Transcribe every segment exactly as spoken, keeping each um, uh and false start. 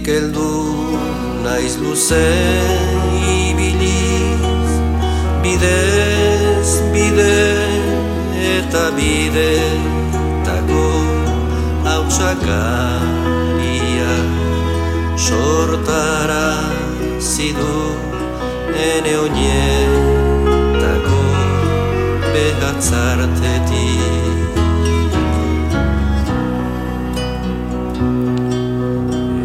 Nik heldu naiz luze ibiliz, bidez, bide eta bide tako hautsakaria sortara zidu ene oinetako behatzartetik.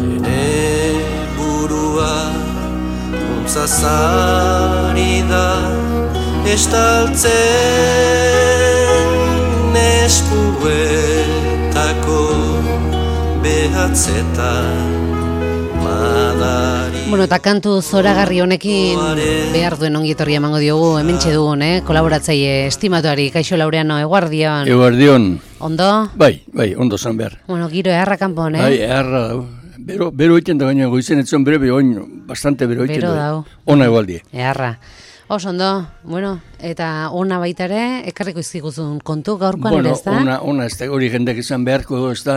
Ene burua untzazari da estaltzen eskuetako behatzetan madari. Bueno, eta kantu zoragarri honekin behar duen ongietorria emango diogu, hementxe dugun, eh? Kolaboratzaile estimatuari, Kaixo Laureano, eguardion. Eguardion. Ondo? Bai, bai, ondo zan behar. Bueno, giro eharra kanpon, eh? Bai, eharra dau. Bero, bero iten da baina goizen etzon bere, bero oin, bastante bero iten Bero da. dau. Ona egualdi. Eharra. Oso ondo, bueno, eta ona baita ere, ekarriko izkiguzun kontu gaurkoan Bueno, ere, ez da? ona, ona, ez da, hori jendek izan beharko, ez da,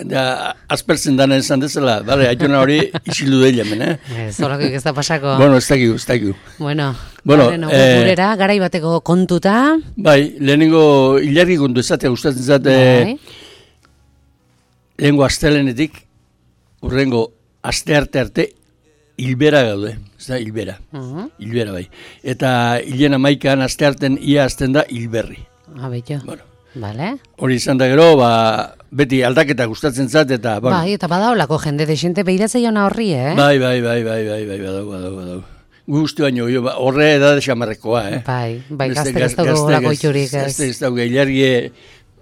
da, aspertzen dana esan dezala, bale, aitona hori isildu dela hemen, eh? Ez, horrekoik ez da pasako. Bueno, ez dakigu, ez dakigu. Bueno, Bueno, bueno eh, gurera, garai bateko kontuta. Bai, lehenengo hilarri kontu ezatea gustatzen zate, Bai. lehenengo astelenetik, urrengo aste arte arte, hilbera gaude, ez da, hilbera, Uh-huh. hilbera bai. Eta hilen amaikan aste arten ia azten da hilberri. Abetxo. Bueno, Vale. hori izan da gero, ba, beti aldaketa gustatzen zat, eta, bueno, Bai, eta badaolako jende desente behiratze jona horri, eh? bai, bai, bai, bai, bai, bai, badau, badau, badau. Guzti baino, jo, ba, horre edade xamarrekoa, eh? Bai, bai, Beste gaztek ez dugu gaz- gorako gaztek itxurik, ez. Gazte ez daude, hilargie,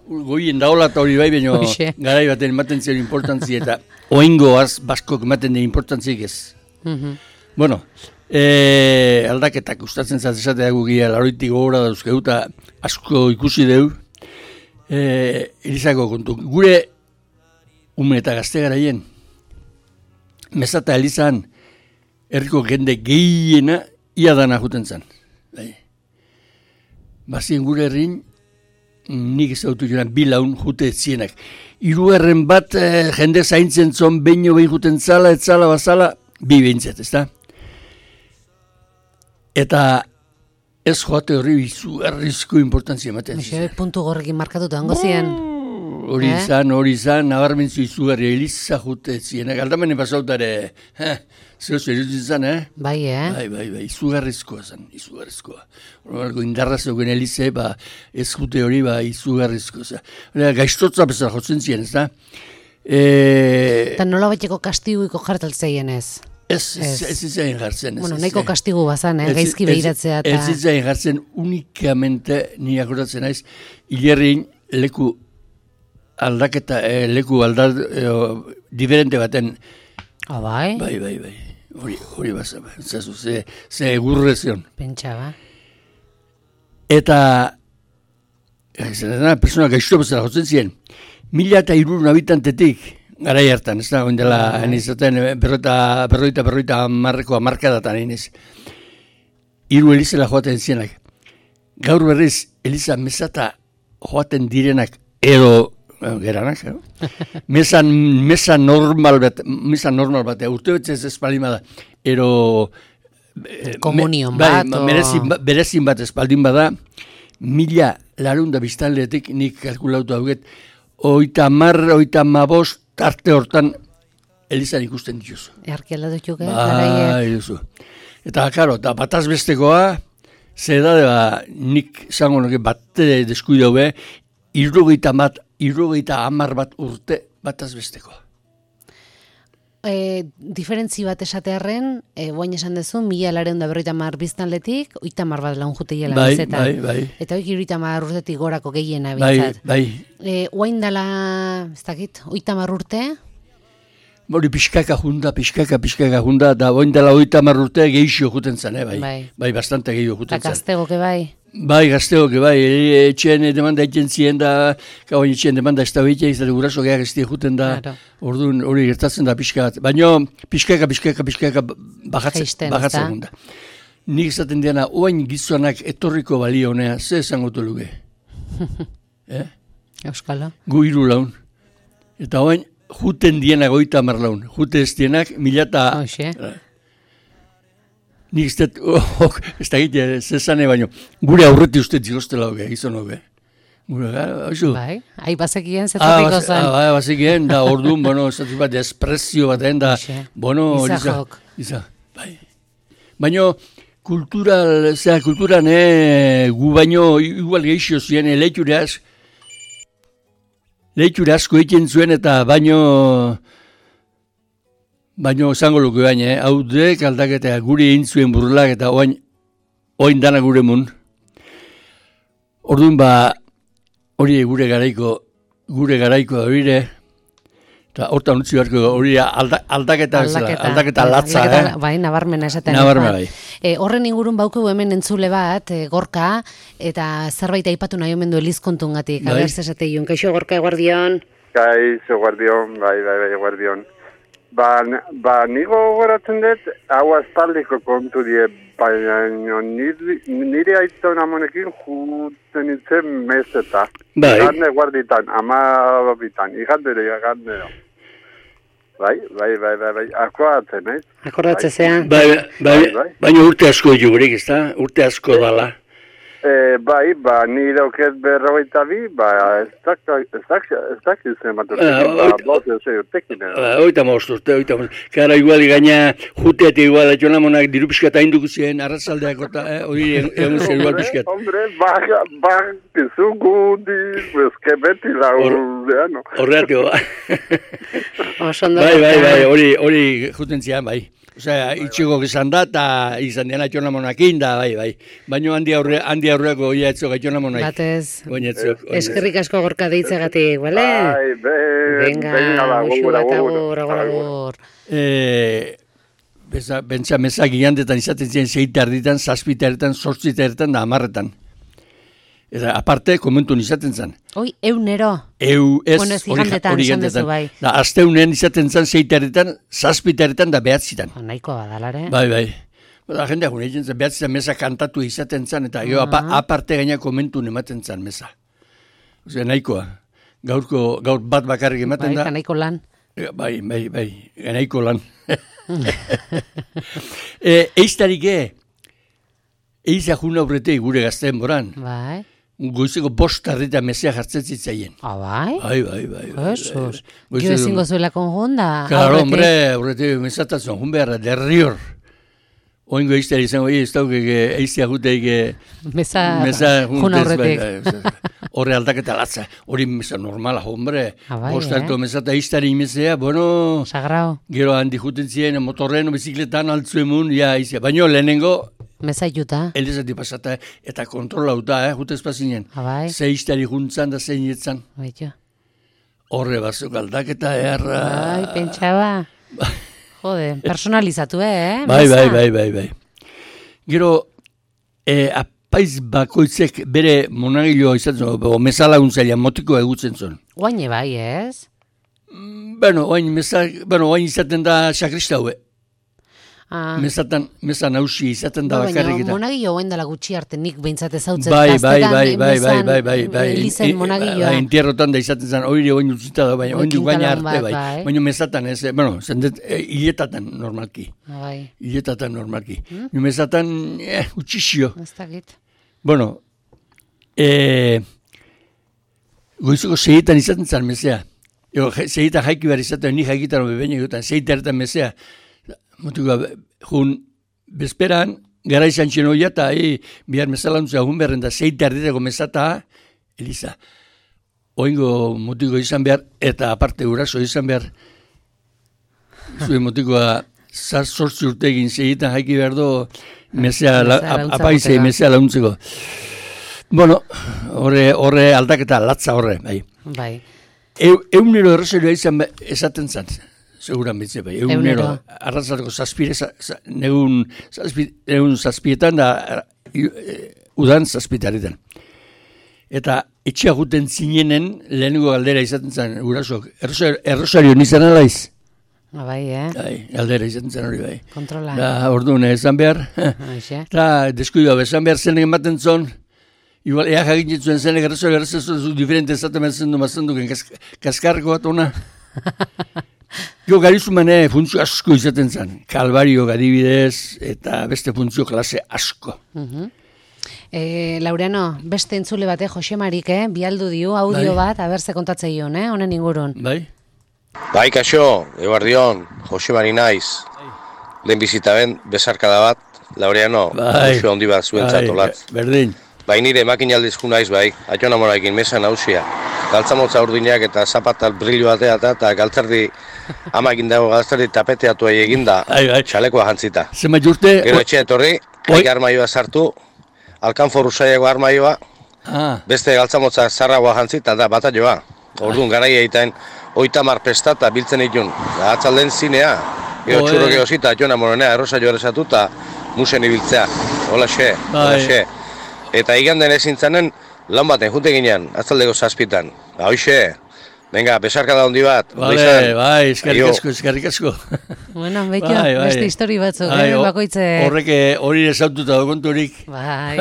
goien daola eta hori bai, baino, Hoxe. garai baten ematen zion importantzi, eta oingoaz baskok ematen den importantzik ez. Mhm. Bueno, e, aldaketak gustatzen zat esatea gugia, laroitik gogora dauzkegu, eta asko ikusi deu, e, Elizako kontu. Gure ume eta gazte garaien, Mezata Elizan, herriko jende gehiena ia dana juten zan. Bai. Bazien gure herrin, nik ezautu joan bilaun jute zienak. Hirugarren bat eh, jende zaintzen zon beino behin juten zala, etzala, bazala, bi behintzat, ez da? Eta ez joate horri izugarrizko importantzia ematen Mixe, zizan. puntu gorrekin markatuta hango zien. Hori Eh? izan, hori izan, nabarmentzu izugarria, Eliza jute zienak. Aldamene pasautare, eh, zeu zeruzin zan, eh? Bai, eh? Bai, bai, bai, izugarrizkoa zen, izugarrizkoa. Horrelako indarra zeugen Elize, ba, ez jute hori, ba, izugarrizkoa zen. Hora, gaiztotza bezala jotzen zien, ez da? E, Eta nola baiteko kastiguiko jartaltzeien ez. ez, ez, ez. ez izan jartzen. Ez, Bueno, ez, nahiko ez. kastigu bazan, eh? Ez- Gaizki ez- behiratzea eta... Ez izan jartzen unikamente, ni akordatzen naiz, hilerrin leku aldaketa, eh, leku aldar, eh, diferente baten, Ah, bai? bai, bai, bai, hori, hori basa, zazu, ze, ze egurre zion. Pentsa, ba. Eta, zer da, persona gaizto bezala jotzen ziren, mila eta hirurehun habitantetik, garai hartan, ez da, oindela, Bai. enizaten, berroita, berroita, berroita amarreko amarkadatan, eniz. Hiru Elizela joaten zienak. Gaur berriz, Eliza Mezata joaten direnak, edo, eh, geranak, eh? Mesa, mesa normal bat, mesa normal bat, urte betzez espaldin bada, ero... eh, Komunion me- bai, bat, o- merezin, ba- berezin bat espaldin bada, mila larunda biztanletik nik kalkulautu hauget, oita mar, oita mabost, arte hortan Elizan ikusten dituzu. Earkiela dutxuk, eh? Garaiek. Bai, duzu. Eta, karo, eta bataz bestekoa, ze da, ba, nik zango nuke bate deskuidau be, irrogeita bat, irrogeita amar bat urte bataz bestekoa. E, diferentzi bat esatearren, e, guain esan duzu, mila lareun da berroita mar biztanletik, oita mar bat laun jute hiela Bai, bezetan. bai, bai. Eta hoik iruita mar urtetik gorako gehiena Bai, bintzat. bai. E, guain dala, ez dakit, oita mar urte, Hori pixkaka junda, pixkaka, pixkaka junda, da oin dela oita mar urte gehixio juten zen, eh, bai. Bai. Bai, bastante gehiago eta juten zen. gaztegoke bai. Bai, gazteok, bai, e- etxean demanda egiten ziren da, gau etxean demanda ez da behitea, izate guraso gehiak ez juten da, Claro. orduan hori gertatzen da pixka bat. Baina pixkaka, pixkaka, pixkaka bajatzen, Jaisten, bajatzen ezta? gunda. Nik esaten diana, oain gizonak etorriko balio honea, ze esango luke. eh? Euskalo. Gu hiru laun. Eta oain, juten dienak oita marlaun. Jute ez dienak, mila eta... Hoxe. Nik ez dut, oh, ez da gite, zezane baino. Gure aurreti uste zigostela hoge, gizon hoge. Gure, haizu. Bai, ahi bazekien zetorriko zen. Ah, bai, bazekien, da orduan, bueno, ez bat, espresio bat, da, bueno, izahok. Iza, bai. Baino, kultural, zera, kulturan, eh, gu baino, igual geixo ziren, leiture asko, leiture asko egiten zuen, eta baino, baino, zango luke baina, eh, hau dek aldaketa, guri egin zuen burlak, eta oain, oain dana gure mun. Orduan, ba, hori gure garaiko, gure garaiko da bire, eta hortan utzi beharko hori alda, aldaketa, aldaketa, aldaketa latza. Aldaketa, eh? Bai, nabarmena esaten. Nabarmena bai. E, horren ingurun bauku hemen entzule bat, e, Gorka, eta zerbait aipatu nahi omen du elizkontungatik. Bai. Aber, zesate iun. Kaixo, Gorka, eguardion. Kaixo, eguardion, bai, bai, bai, eguardion. Ba, ba, nigo goratzen dut, hau aspaldiko kontu die, baina nire, nire aiton amonekin juten itzen meseta. Bai. Igande guarditan, ama bitan, igandero, igandero. Bai, bai, bai, bai, bai, akoatzen, eh? Akordatzen zean. Bai, bai, Bai, bai. baina urte asko jugurik, ez da? Urte asko dala. E, bai, ba, nire oket berrogeita bi, ba, ez dakit zenbatu, Ah, ba, oit- bost ez urtekin, eh? Ba, oita most urte, oita most. Kara, igual, gaina, jute eta igual, atxona monak diru pixkat hainduko ziren, arrazaldeak eta, eh, hori egun zen igual pixkat. Hombre, ba, ba, pizugundi, pues, que beti la urdeano. Horreatio, Oso ondo. bai, bai, bai, hori, hori juten zian, bai. Osea, itxiko izan da, eta izan dian atxona monakin da, bai, bai. Baina handi aurre, handi aurreako oia etzok atxona monak. Batez. Baina etzok. Eskerrik asko Gorka deitzegatik, bale? Bai, be, Venga, venga, ba, musu gogor, bat gogor, agur, agur, agur. agur. Eh, beza, bentsa mezak gigantetan izaten ziren zeita erditan, zazpita erditan, zortzita erditan da amarretan. Eta aparte, komentun izaten zen. Oi, eunero. Eu, ez, Bueno, ez hori igandetan, hori esan igandetan. duzu, bai. Da, asteunen izaten zen zeita erditan, zazpita erditan da behatzitan. Oh, nahikoa badalare. Bai, bai. Da, jendeak gure egiten zen, behatzitan meza kantatu izaten zen, eta gero apa, aparte gaina komentun ematen zen meza. Osea, nahikoa. Gaurko, gaur bat bakarrik ematen Bai, da. nahiko lan. Bai, bai, bai, nahiko lan. e, eiztarik e, eiza juna aurretik gure gazteen boran. Bai. Goizeko bost tarrita mesea jartzen zitzaien. Ah, bai? Bai, bai, bai. bai, Jesus. bai. Jo ezingo zuela konjonda. Claro, hombre, aurretik mesatatzen, jun beharra, derrior. Oingo eiztari izango, ez daukeke eiztia guteik Mesa, mesa jun juntez, aurretik. bai, bai, horre aldaketa latza. Hori mesa normala, hombre. Ah, bai, bost eh? tarrito mesata eiztari mesea, bueno... Sagrao. Gero handi juten ziren, motorren, bizikletan altzu emun, ja, izia. Baina lehenengo, Mesa juta. elizati pasata, eta kontrolauta, eh, jutez pasinen. Ah, bai. Zeiztari juntzan da zein etzan. Baito. Horre bazuk aldaketa, erra... Bai, pentsaba. Jode, personalizatu, eh? Bai, Mesa. bai, bai, bai, bai. Gero, eh, apaiz bakoitzek bere monagiloa izan zuen, o mesa laguntzailea motiko egutzen zuen. Oaine bai, ez? Bueno, oain, mesa, bueno, oain izaten da sakrista hue. Ah. Mesatan, mesa nausi izaten da Ba, bakarrik baina eta. monagilo oen dela gutxi arte nik behintzat ezautzen Bai, bai, gaztetan, bai, bai, bai, mesan, bai, bai, bai. Elizen monagilloa. Bai, entierrotan da izaten zen, oire oin utzita da, baina Oi, oin du gaina kintalan arte, bat, bai. bai. Baina mesatan ez, eh, bueno, zendet, eh, hiletatan normalki. Ah, bai, Hiletatan normalki. Hmm? Mesatan, eh, utxixio. ez dakit. Bueno, eh, goizeko segitan izaten zen mesea. Ego, segitan jaiki behar izaten, ni jaikitan bebein egotan, segitan ertan mesea. Motiko, jun, bezperan, gara izan txenoia eta e, bihar mesalantza egun beharren da zeita erditeko mesata, Eliza, oingo motiko izan behar, eta aparte uraso izan behar, zuen motikoa zaz sortzi urtegin segitan jaiki behar do, mesea, la, Mesea laguntza apaizei gotera. mesea launtzeko. Bueno, horre, horre aldaketa latza horre, bai. Bai. E, eunero errozerioa izan be- esaten zan, seguran bitze bai. Eunero, Eunero. arrazateko zazpire, za, za, negun, zazpi, negun zazpietan da, i- e, udan zazpitaretan. Eta etxea guten zinenen lehenengo galdera izaten zen, gurasok, errosario nizan alaiz? Ah, bai, eh? Bai, galdera izaten zen hori bai. Kontrola. Da, orduan esan behar, Aixe. eta deskuidua, esan behar zen ematen zon, igual, ea jakin zuen zen, errosario errosario zu diferente esaten behar zen du, mazen duken, kaskarko bat ona. Jo, garizumane funtzio asko izaten zen. Kalbario adibidez eta beste funtzio klase asko. Uh-huh. E, Laureano, beste entzule bate, Jose Marik, eh? Bialdu dio audio bai. Bat, aberze kontatzeion, eh? Honen ingurun. Bai. Bai, kaixo, eguardion, Jose Mari naiz. Bai. Lehen bizita ben, besarkada bat, Laureano, bai. Jose handi bat zuentzat olatz. Bai, berdin. Bai, nire makinaldizku naiz, bai, atxon amorakin mesa nausia. Galtzamotza urdinak eta zapatal brillo batea eta galtzerdi ama egin dago galtzerdi tapeteatu eginda, txalekoa jantzita. Zema jurte? Gero etxe etorri, haik armaioa sartu, alkanforu saiago armaioa, ah. Beste galtzamotza zarragoa jantzita da batalloa. Orduan, garai egiten, oitamar pestata biltzen itun, atzalden zinea, gero oh, txurro gehozita, atxona moronea, errosa joa esatuta, musen ibiltzea, hola xe, hola xe. Eta iganden ezin zanen, lan baten, junte ginean, atzaldeko zazpitan. Hoxe, venga, besarka da hondi bat. Vale, bai, eskerrik asko, eskerrik asko. Bueno, beiko, bai, bai. Beste histori batzuk, bai, eh, bakoitze... Horrek hori esaututa dokonturik. Bai.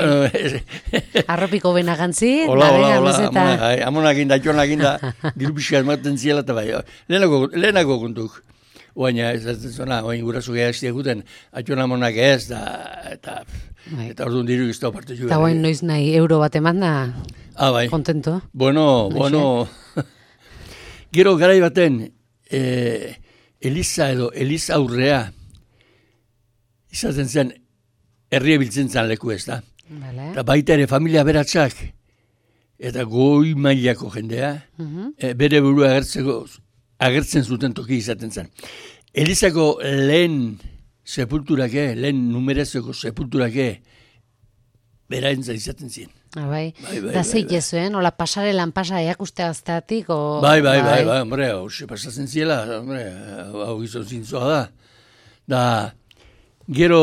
Arropiko benagantzi, hola, hola, hola, amona, amonak inda, atxonak inda, diru pixka ematen ziela eta bai. Lehenako, lehenako kontuk. Oaina, ez ez zona, oain gurasu geha estia guten, atxon amonak ez, da, eta... Bai. Eta orduan diru iztau parte juga. Eta guain noiz nahi euro bat eman da, ah, bai. Kontento. Bueno, noiz bueno. Gero garai baten, eh, Eliza edo Eliza aurrea, izaten zen, herria biltzen zen leku ez da. Vale. Eta baita ere familia beratxak, eta goi mailako jendea, uh-huh. e, bere burua agertzeko, agertzen zuten toki izaten zen. Elizako lehen sepulturake, lehen numerezeko sepulturake, beraentza izaten ziren. Ah, bai. Bai, bai, da bai, zeik bai. ezuen, hola pasare lan pasa eakuste azteatik, o... Bai, bai, bai, bai, hombre, hauxe pasatzen ziela, hombre, hau gizon zintzoa da. Da, gero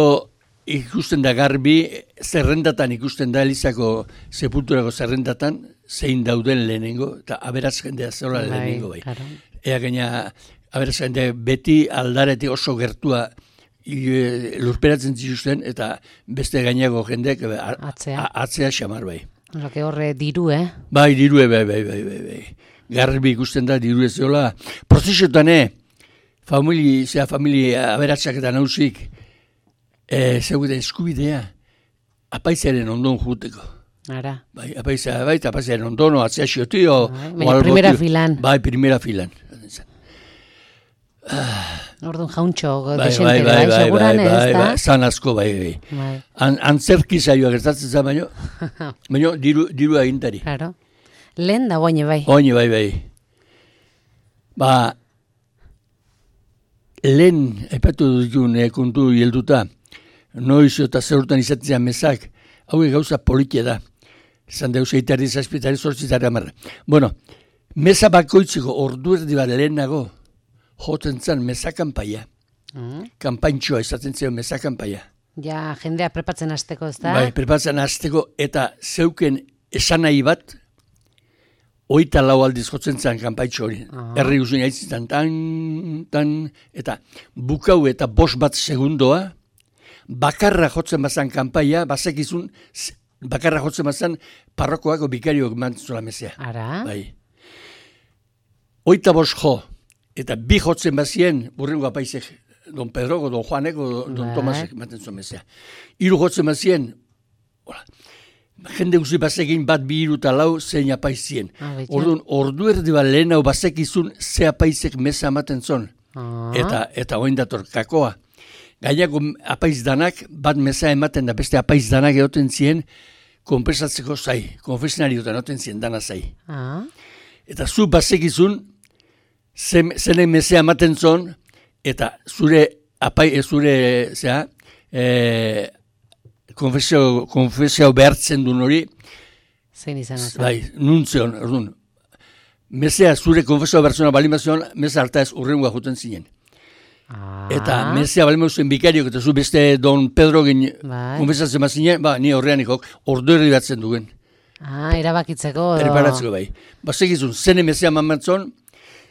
ikusten da garbi, zerrendatan ikusten da Elizako sepulturako zerrendatan, zein dauden lehenengo, eta aberaz jendea zeola lehenengo bai. Claro. Ea gaina, aberaz jendea beti aldaretik oso gertua lurperatzen zituzten, eta beste gainago jendeak atzea, atzea xamar bai. Horrek horre diru, eh? Bai, dirue, bai, bai, bai, bai, bai. Garbi ikusten da, diru ez zola. Prozesiotan, eh, famili, zera, familia aberatsak eta nausik, eh, zegoetan eskubidea, apaizaren ondon juteko. Ara. Bai, apaizaren, bai, apaizaren ondon, atzea xiotio. Bai, primera filan. Bai, primera filan. Ah. Orduan jauntxo, bai, desentere, bai, bai, seguran bai, ez, bai, da? bai, zan asko, bai, bai. bai. An, antzerki zaioa gertatzen zen, baino, baino, diru, diru agintari. Claro. Lehen da guaine bai. Oine, bai, bai. Ba, lehen, aipatu dutun, eh, kontu hielduta, noiz eta zerrutan izaten zen mezak, hauek gauza politia da. Zan deus eitari zazpitari zortzitari amarra. Bueno, meza bakoitzeko ordu erdi bat lehenago, joten zen meza kanpaia. Mm. Kanpaintxoa izaten zen meza kanpaia. Ja, jendea prepatzen hasteko, ez da? Bai, prepatzen hasteko, eta zeuken esanai bat, oita lau aldiz jotzen zen kanpaintxo hori. Uh-huh. Herri guzien haitzitan, tan, tan, eta bukau eta bost bat segundoa, bakarra jotzen bazan kanpaia, bazekizun, bakarra jotzen bazan, parrokoako bikarioak mantzula mezea. Ara? Bai. Oita bost jo, eta bi jotzen bazien, burrengo apaizek, don Pedroko, don Juaneko, don bai. Tomasek, maten zuen mezea. Hiru jotzen bazien, hola, jende guzi bazekin bat bi hiru eta lau zein apaizien. Ah, orduan, ordu erdi bat lehen hau bazekizun ze apaizek meza ematen zon. Ah. Eta, eta oin dator kakoa. Gainako apaiz danak, bat meza ematen da beste apaiz danak egoten zien, konpensatzeko zai, konfesionariotan egoten zien dana zai. Ah. Eta zu bazekizun, zenen mezea ematen zon, eta zure apai, zure, zera, e, konfesio, konfesio behartzen duen hori, zein izan azan. Bai, nuntzeon, orduan, mezea zure konfesio behartzen balimazion, meza harta ez urrengoa juten zinen. Ah. Eta mezea balimazen bikariok, eta zu beste don Pedro gen bai. Konfesatzen mazinen, ba, ni horrean ikok, ordu erdi batzen duen. Ah, erabakitzeko. Preparatzeko bai. Bazekizun, zene mezea mamatzon,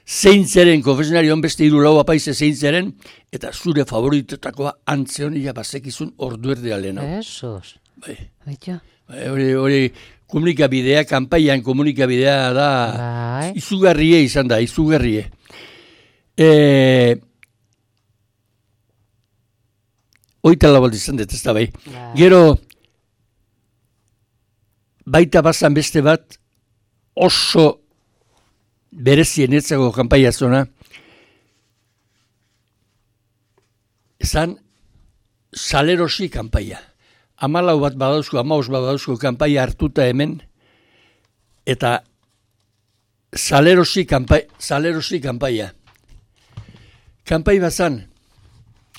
zein zeren, konfesionarion beste hiru lau apaize zein zeren, eta zure favoritetakoa antzeon ia bazekizun ordu erdi alena. Jesus. Bai. Baito. Bai, hori, hori komunikabidea, kanpaian komunikabidea da, bai. Izugarrie izan da, izugarrie. E, oita labaldi izan dut, ez da bai. Gero, baita bazan beste bat, oso berezien etzago kanpaia zona, ezan salerosi kanpaia. Amalau bat badauzko, amaus bat badauzko kanpaia hartuta hemen, eta salerosi kanpaia. Salerosi kanpaia. Kanpai bazan,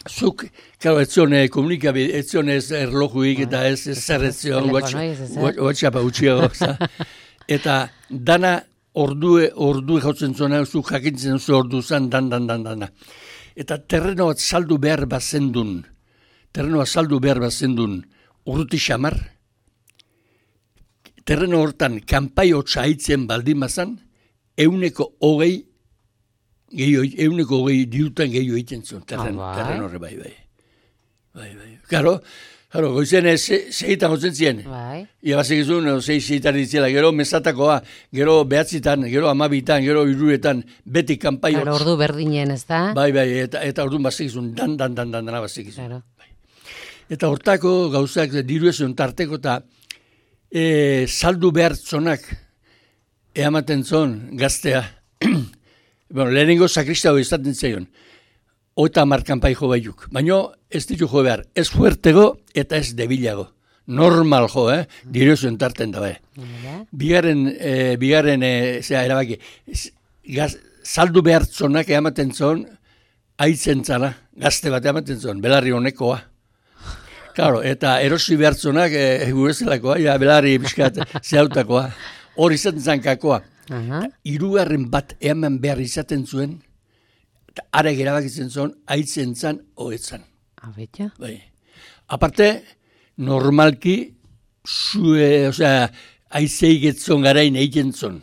zuk, karo, etzion eh, komunikabide, etzion ez erlojuik eta ez zer etzion, WhatsAppa utxiago. Eta dana ordue, ordue jautzen zona, zuk jakintzen zu ordu zan, dan, dan, dan, dan. Eta terreno bat saldu behar bazendun, terreno bat saldu behar bazendun, urruti xamar, terreno hortan kanpai hotza haitzen baldin bazan, euneko hogei, gehiago, euneko hogei diutan gehiago egiten zuen, terren, ah, terren horre bai, bai. Bai, bai. Karo, karo, goizen ez, segitan gotzen ziren. Bai. Ia basik izun, zei segitan ditzela, gero mesatakoa, gero behatzitan, gero amabitan, gero iruetan, beti kanpai hotz. Karo, ordu berdinen ez da? Bai, bai, eta, eta orduan basik izun, dan, dan, dan, dan, dana basik izun. Claro. Bai. Eta hortako gauzak diru ezion tarteko eta e, saldu behar zonak eamaten zon gaztea. Bueno, lehenengo sakristago izaten zeion. Oita markanpai jo baiuk. Baina ez ditu jo behar. Ez fuertego eta ez debilago. Normal jo, eh? Diru zuen tarten da, bai. Bigarren, eh, bigarren, eh, zera, erabaki, gaz, saldu behar zonak eamaten zon, aitzen zala, gazte bat eamaten zon, belarri honekoa. Claro, eta erosi behar zonak, eh, gurezelakoa, ja, belarri biskat zehautakoa. Hor izaten zankakoa. Uh-huh. Hirugarren bat eman behar izaten zuen, eta ara gerabakitzen zuen, aitzen zan, hoetzan. Abetxa? Bai. Aparte, normalki, zue, osea, aizei getzon garain egiten zuen,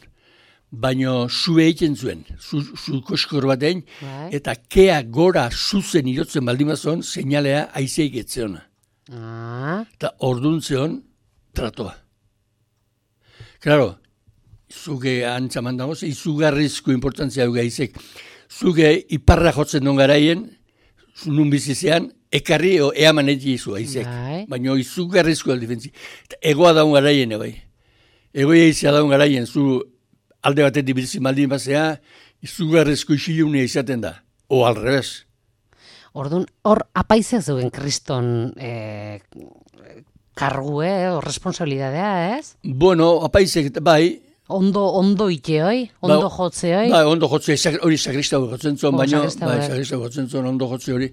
baino zue egiten zuen, zu, zu koskor batein, bai. Eta kea gora zuzen irotzen baldimazon, seinalea aizei getzeona. Uh-huh. Eta orduan zeon, tratoa. Claro, zuge antzaman dagoz, izugarrizko importantzia dugu gaizek. Zuge iparra jotzen duen garaien, nun bizizean, ekarri o eaman egi izu gaizek. Baina izugarrizko aldifentzi. Egoa daun garaien, bai. Egoia izia daun garaien, zu alde batetik bizi maldin bazea, izugarrizko isilunea izaten da. O al revés. Orduan, hor apaizea zuen kriston eh, kargu, eh, o responsabilidadea, ez? Bueno, apaizek, bai, Ondo, ondo ite hoi? Ondo ba, jotze hoi? Ba, ondo jotze, hori sakristago jotzen zuen, baina, bai, sakristago jotzen zuen, ondo jotze hori.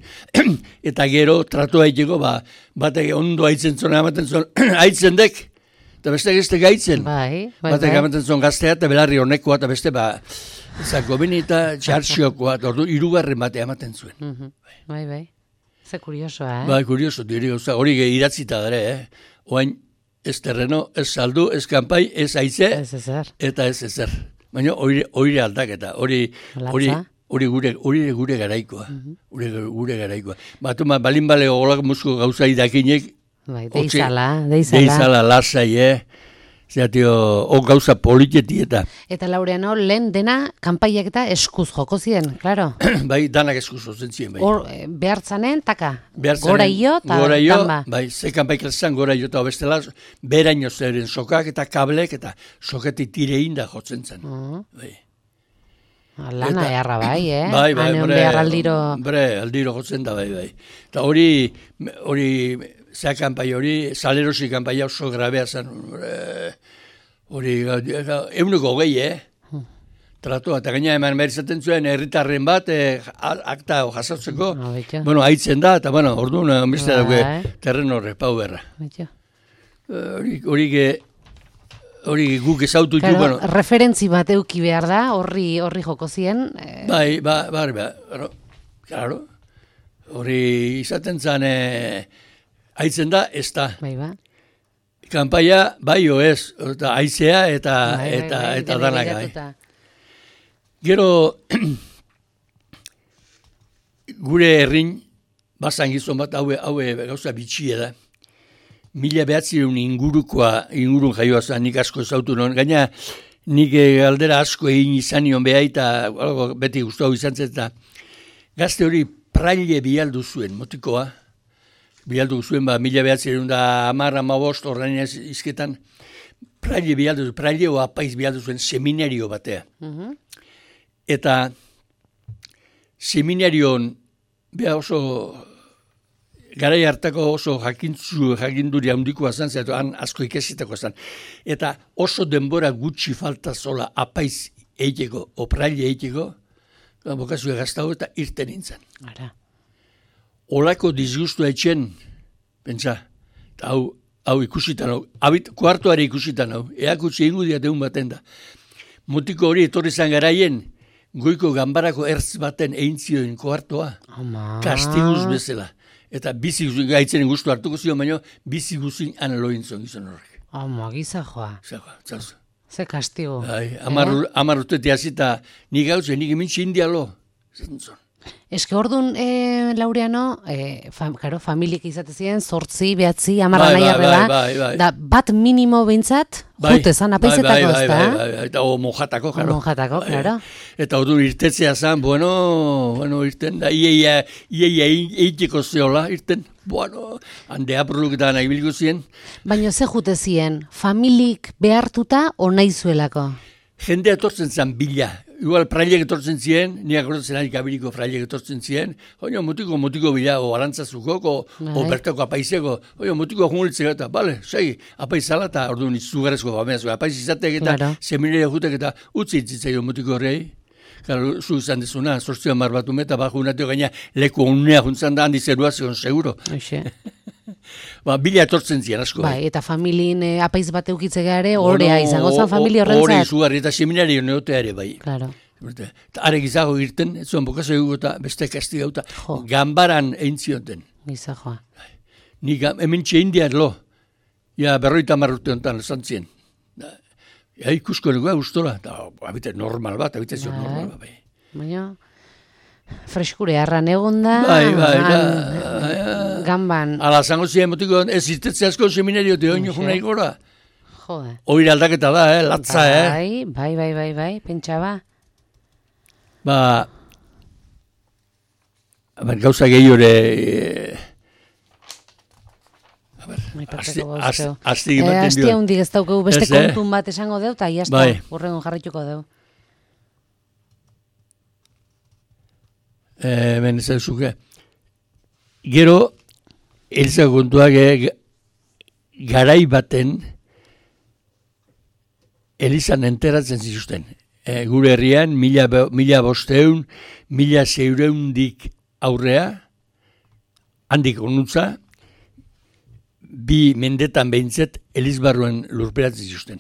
Eta gero, tratu haiteko, ba, batek ondo haitzen zuen, amaten zuen, haitzen dek, eta beste gazte gaitzen. Bai, bai, batek bai. Amaten zuen gaztea, eta belarri honekoa, eta beste, ba, zako bini eta txartxiokoa, eta ordu, irugarren bate amaten zuen. Uh-huh. Bai, bai. Ze kuriosoa, eh? Bai, kurioso, diri gauza, hori idatzita dara, eh? Oain, ez terreno, ez saldu, ez kanpai, ez aize, eta ez ezer. Baina hori aldaketa, hori hori hori gure hori gure garaikoa, gure gure garaikoa. Batuma balin bale golak musko gauza idakinek, bai, deizala, deizala. Deizala lasai, eh. Zea, tio, o gauza politieti eta. Eta Laureano, lehen dena kanpaiak eta eskuz joko ziren, claro. Bai, danak eskuz jotzen ziren, bai. Hor, behartzanen, taka, gora io eta tamba. Bai, ze kanpaik elzan gora io eta bestela, beraino zeren sokak eta kablek eta soketik tirein da jotzen zen. Uh-huh. Bai. Lana eharra bai, eh? Bai, bai, bre, aldiro... bre, aldiro jotzen da, bai, bai. Eta hori, hori... Zea kanpai hori, salerosi kanpai oso grabea zen, hori, euneko hogei, eh? Tratua, eta gaina eman behar izaten zuen, herritarren bat, eh, akta jasotzeko, bueno, haitzen da, eta bueno, orduan, onbizte dauke, terren horre, pau berra. Hori, hori, hori guk ezautu claro, bueno. Referentzi bat euki behar da, horri, horri joko zien. Eh. Bai, ba, bai, bai, claro, hori izaten zen, eh, haitzen da, ez da. Bai, ba. Kanpaia, bai o ez, eta haizea eta, bai, eta, bai, bai, eta danak. Bai. Gero, gure herrin, bazan gizon bat, haue, haue gauza bitxia da. Mila behatzireun ingurukoa, ingurun jaioa zen, nik asko ezautu non. Gaina, nik galdera asko egin izan nion beha, eta beti guztua izan zen, eta gazte hori praile bialdu zuen, motikoa, bialdu zuen, ba, mila behatzen da amar, amabost, horrein izketan, praile bialdu zuen, praile o apaiz bialdu zuen seminario batea. Uh-huh. Eta seminarion, beha oso, garai hartako oso jakintzu, jakinduri handikoa zan, zaitu han asko ikesitako zan. Eta oso denbora gutxi falta zola apaiz eiteko, o praile eiteko, bokazue gaztago eta irten nintzen. Ara. Olako disgustu etxen, pentsa, hau, hau ikusitan hau, abit, kuartoare ikusitan hau, eakutsi ingu diateun baten da. Mutiko hori etorri zan garaien, goiko ganbarako ertz baten eintzioen kuartoa, Ama. kastiguz bezala. Eta bizi gaitzen gustu hartuko zion, baina bizi guzin analoin zon gizon horrek. Ama, gizajoa. Zagoa, zagoa. Ze kastigo. Bai, amar, eh? amar urtetik hasita nik gautzen, nik emintxe indialo. Zentzon. Eske orduan, e, Laureano, e, fam, karo, familiek izate ziren, zortzi, behatzi, amarra bai, nahi arrela, bai, bai, bai. da bat minimo behintzat, Bai, jute zan, apaizetako bai, bai, ez da? bai, bai, bai, eta o mojatako, O mojatako, Bai. claro. Eta orduan irtetzea zan, bueno, bueno, irten da, ieia, ieia eiteko zeola, irten, bueno, hande apruluk eta nahi bilgo zien. Baina ze jute ziren, familik behartuta o nahi zuelako? Jendea etortzen zen bila. Igual prailek etortzen ziren, niak horretzen ari kabiliko prailek etortzen ziren, oino, mutiko, mutiko bila, o arantzazukok, o, o bertako apaizeko, oino, mutiko jungultzeko eta, bale, segi, apaizala eta orduan izugarrezko bameazko, apaiz izatek eta Claro. seminaria jutek eta utzi itzitzaio mutiko horrei. Claro, zu izan dezuna, sortzio hamar bat umeta, baju unatio gaina leku unea juntzan da handi zerua zion, seguro. Oixe. Ba, bila etortzen ziren asko. Bai, eta familin e, apaiz bat eukitze gare, horrea izango zen familia Hori horrentzat. izugarri eta seminario neotea ere bai. Claro. Eta are gizago irten, ez zuen bokazo egu eta beste kastigauta, Jo. ganbaran eintzioten. Gizajoa. Ni hemen txe indian lo, ja berroita marrute honetan zantzien. Ja ikusko negoa ustola, eta abite normal bat, abite zion Bai. normal bat. Bai. Baina, freskure harran egon da, Bai, bai, gan- da, ganban, ala zango ziren motiko, ez irtetze asko seminario te oino Hoxe. juna igora. jode. Oire aldaketa da, eh, latza, eh. Bai, bai, bai, bai, bai, pentsa ba. Ba, a ber, gauza gehiore, eh, Aipatzeko Asti- gauzkeu. asti- asti Eh, ematen Asti dio. handik ez daukegu beste Ez, eh? kontun bat esango deu, eta jazta, Bai. hurrengo jarrituko deu. Eh, ben ez zuke. Gero, elza kontuak eh, garai baten elizan enteratzen zituzten. Eh, gure herrian, mila, be- mila bosteun, mila zeureundik aurrea, handik onutza, bi mendetan behintzet elizbarruen lurperatzen zituzten.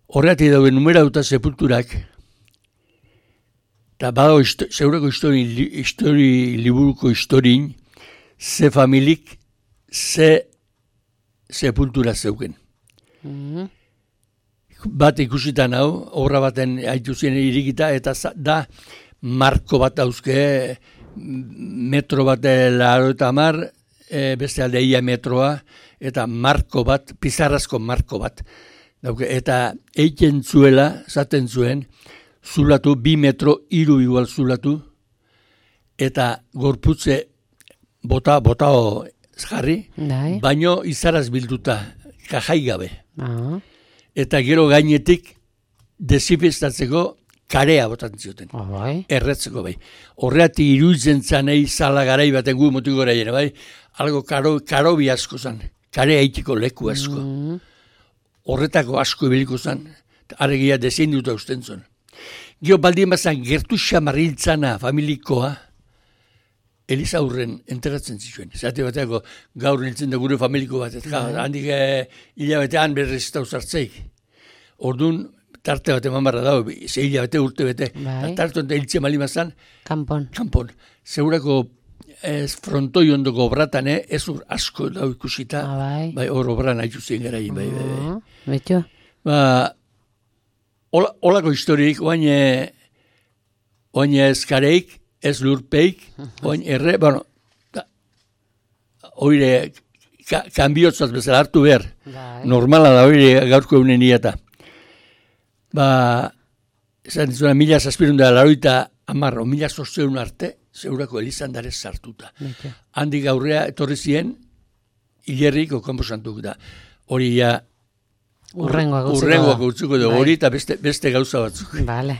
Horretik dauen numerauta sepulturak, eta badago zeureko histori, li- histori liburuko historin, ze familik, ze sepultura zeuken. Mhm. Bat ikusitan hau, obra baten haitu zien irikita, eta za- da marko bat dauzke, metro bat laro eta mar, e, beste alde ia metroa, eta marko bat, pizarrazko marko bat. Dauke, eta eiten zuela, zaten zuen, zulatu, bi metro, hiru igual zulatu, eta gorputze bota, botao jarri, Bai. baino izaraz bilduta, kajai gabe. Ah, Eta gero gainetik desinfestatzeko karea botatzen zioten. ah, bai. Erretzeko bai. Horreati iruditzen zanei zala garai baten gu motik gora jene, bai. Algo karo, karobi asko zan. Karea eitiko leku asko. Mhm. Horretako asko ibiliko zan. Aregia desinduta usten zuen. Gio baldien bazan gertu xamarriltzana familikoa, Eliza aurren enteratzen zituen. Zate bateako gaur nintzen da gure familiko bat. Eta handik eh, hilabetean berrez eta uzartzeik. Orduan, tarte bat eman barra dago, ze hilabete urte bete. Bai. Tarte honetan hiltzen malimazan, Kanpon. kanpon. Segurako ez frontoi ondoko obratan, eh, ez ur asko dau ikusita. Ah, bai. Bai, hor obran haitu zien garaien, bai, bai, bai. Ah, Betxo. Ba, hola, holako historik, oain, eh, oain ezkareik, ez lurpeik, oain erre, bueno, da, oire, ka, kanbiotzat bezala hartu behar. Bai. Normala da oire gaurko eunen iata. Ba, esan dizuna, mila zazpirun da laroita amarro, mila zortzeun arte, zeurako Elizandare sartuta. Handik aurrea etorri ziren, hilerrik okampo santuk da. Hori ja, urrengoak utziko urrengoak utziko da, hori eta beste, beste gauza batzuk. Bale,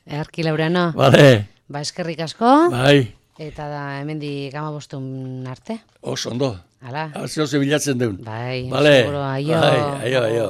earki Laureano. Bale. Ba, eskerrik asko. Bai. Eta da, hemendik amabostun arte. Oso ondo. Hala. Zeo ze bilatzen deun. Bai, vale. seguro, aio. Bai, aio, aio.